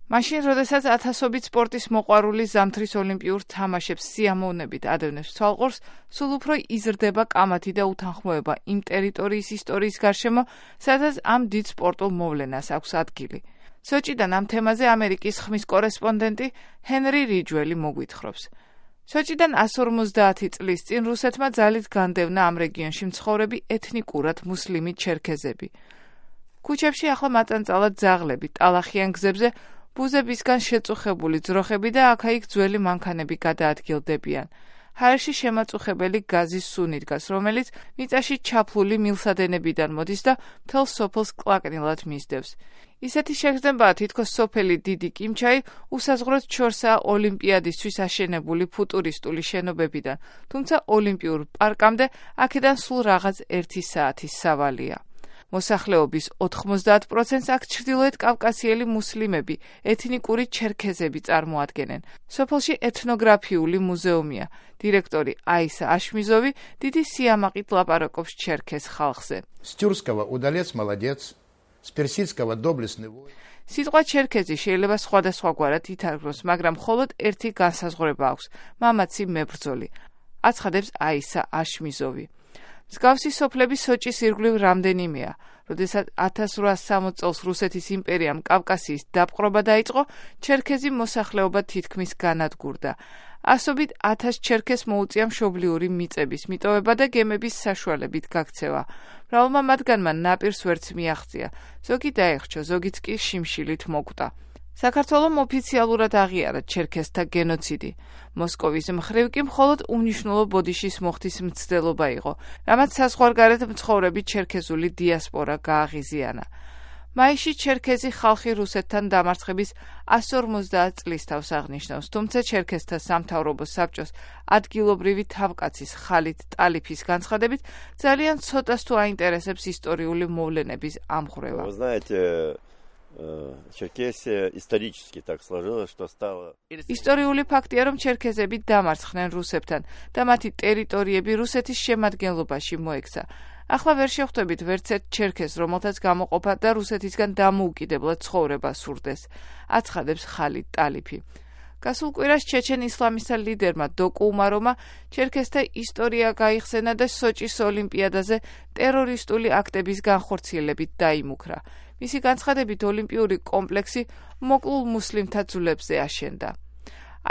მაშინ, როდესაც ათასობით სპორტის მოყვარული ზამთრის ოლიმპიურ თამაშებს სიამოვნებით ადევნებს თვალყურს, სულ უფრო იზრდება კამათი და უთანხმოება იმ ტერიტორიის ისტორიის გარშემო, სადაც ამ დიდ სპორტულ მოვლენას აქვს ადგილი. სოჭიდან ამ თემაზე ამერიკის ხმის კორესპონდენტი ჰენრი რიჯველი მოგვითხრობს. სოჭიდან 150 წლის წინ რუსეთმა ძალით განდევნა ამ რეგიონში მცხოვრები ეთნიკურად მუსლიმი ჩერქეზები. ქუჩებში ახლა მაწანწალად ძაღლები, ტალახიან გზებზე ბუზებისგან შეწუხებული ძროხები და აქა-იქ ძველი მანქანები გადაადგილდებიან. ჰაერში შემაწუხებელი გაზის სუნი დგას, რომელიც მიწაში ჩაფლული მილსადენებიდან მოდის და მთელ სოფელს კლაკნილად მისდევს. ისეთი შეგრძნებაა, თითქოს სოფელი დიდი კიმჩაი უსაზღვროდ ჩორსაა ოლიმპიადისთვის აშენებული ფუტურისტული შენობებიდან, თუმცა ოლიმპიურ პარკამდე აქედან სულ რაღაც 1 საათის სავალია. მოსახლეობის 90%-ს აქ ჩრდილოეთ კავკასიელი მუსლიმები, ეთნიკური ჩერქეზები წარმოადგენენ. სოფელში ეთნოგრაფიული მუზეუმია. დირექტორი აისა აშმიზოვი დიდი სიამაყით ლაპარაკობს ჩერქეზ ხალხზე. С тюркского удалец молодец, с персидского доблестный воин. სიტყვა ჩერქეზი შეიძლება სხვადასხვაგვარად ითარგმნოს, მაგრამ მხოლოდ ერთი განსაზღვრება აქვს: მამაცი მებრძოლი. აცხადებს აისა აშმიზოვი. მსგავსი სოფლები სოჭის ირგვლივ რამდენიმეა. როდესაც 1860 წელს რუსეთის იმპერიამ კავკასიის დაპყრობა დაიწყო, ჩერქეზი მოსახლეობა თითქმის განადგურდა. ასობით 1000 ჩერქეზს მოუწია მშობლიური მიწების მიტოვება და გემების საშუალებით გაქცევა. მრავალმა მათგანმა ნაპირს ვერც მიაღწია, ზოგი დაეხრჩა, ზოგიც კი შიმშილით მოკვდა. საქართველომ ოფიციალურად აღიარა ჩერქეზთა გენოციდი. მოსკოვის მხრივ კი მხოლოდ უნიშნულო ბოდიშის მოხდის მცდელობა იყო, რამაც საზღვარგარეთ მცხოვრები ჩერქეზული დიასპორა გააღიზიანა. მაისში ჩერქეზი ხალხი რუსეთთან დამარცხების 150 წლის თავს აღნიშნავს, თუმცა ჩერქეზთა სამთავრობო საბჭოს ადგილობრივი თავკაცის ხალით ტალიფის განცხადებით ძალიან ცოტას თუ აინტერესებს ისტორიული მოვლენების ამღვრევა. Черкесия исторически так сложилось, что стало... ისტორიული ფაქტია, რომ ჩერქეზები დამარცხდნენ რუსებთან და მათი ტერიტორიები რუსეთის შემადგენლობაში მოექცა. ახლა ვერ შევხვდებით ვერც ერთ ჩერქეზს, რომელთაც გამოყოფა და რუსეთისგან დამოუკიდებლად ცხოვრება სურდეს, აცხადებს ხალით ტალიფი. გასულ კვირას ჩეჩენ ისლამისტთა ლიდერმა დოკუ უმარომა ჩერქეზთა ისტორია გაიხსენა და სოჭის ოლიმპიადაზე ტერორისტული აქტების განხორციელებით დაიმუქრა. მისი განცხადებით ოლიმპიური კომპლექსი მოკლულ მუსლიმთა ძვლებზე აშენდა.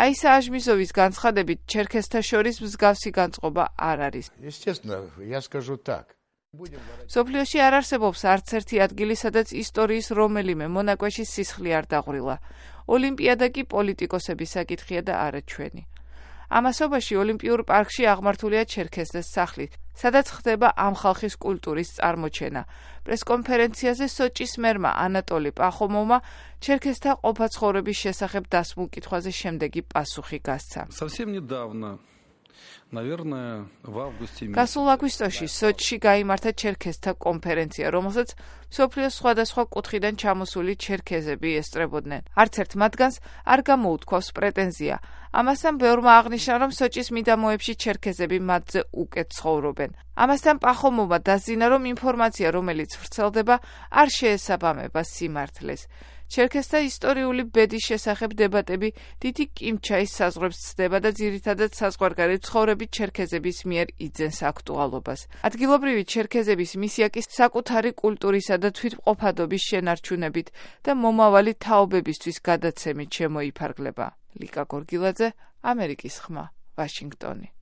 აისა აშმიზოვის განცხადებით ჩერქეზთა შორის მსგავსი განწყობა არ არის. Естественно, я скажу так. სოფლიოში არ არსებობს არც ერთი ადგილი, სადაც ისტორიის რომელიმე მონაკვეთში სისხლი არ დაღვრილა. ოლიმპიადა კი პოლიტიკოსების საკითხია და არა ჩვენი. ამასობაში ოლიმპიურ პარკში აღმართულია ჩერქეზთა სახლი, სადაც ხდება ამ ხალხის კულტურის წარმოჩენა. პრესკონფერენციაზე სოჭის მერმა ანატოლი პახომოვმა ჩერქეზთა ყოფაცხოვრების შესახებ დასმულ კითხვაზე შემდეგი პასუხი გასცა. Совсем недавно, наверное, в августе месяце. გასულ აგვისტოში სოჭში გაიმართა ჩერქეზთა კონფერენცია, რომელსაც მსოფლიოს სხვადასხვა კუთხიდან ჩამოსული ჩერქეზები ესწრებოდნენ. არც ერთ მათგანს არ გამოუთქვავს პრეტენზია. ამასთან ბევრმა აღნიშნა, რომ სოჭის მიდამოებში ჩერქეზები მათზე უკეთ ცხოვრობენ. ამასთან პახომოვმა დასძინა, რომ ინფორმაცია, რომელიც ვრცელდება, არ შეესაბამება სიმართლეს. ჩერქეზთა ისტორიული ბედის შესახებ დებატები დიდი კიმჩაის საზღვრებს ცდება და ძირითადად საზღვარგარეთ მცხოვრები ჩერქეზების მიერ იძენს აქტუალობას. ადგილობრივი ჩერქეზების მისია კი საკუთარი კულტურისა და თვითმყოფადობის შენარჩუნებით და მომავალი თაობებისთვის გადაცემით შემოიფარგლება. ლიკა გორგილაძე, ამერიკის ხმა, ვაშინგტონი.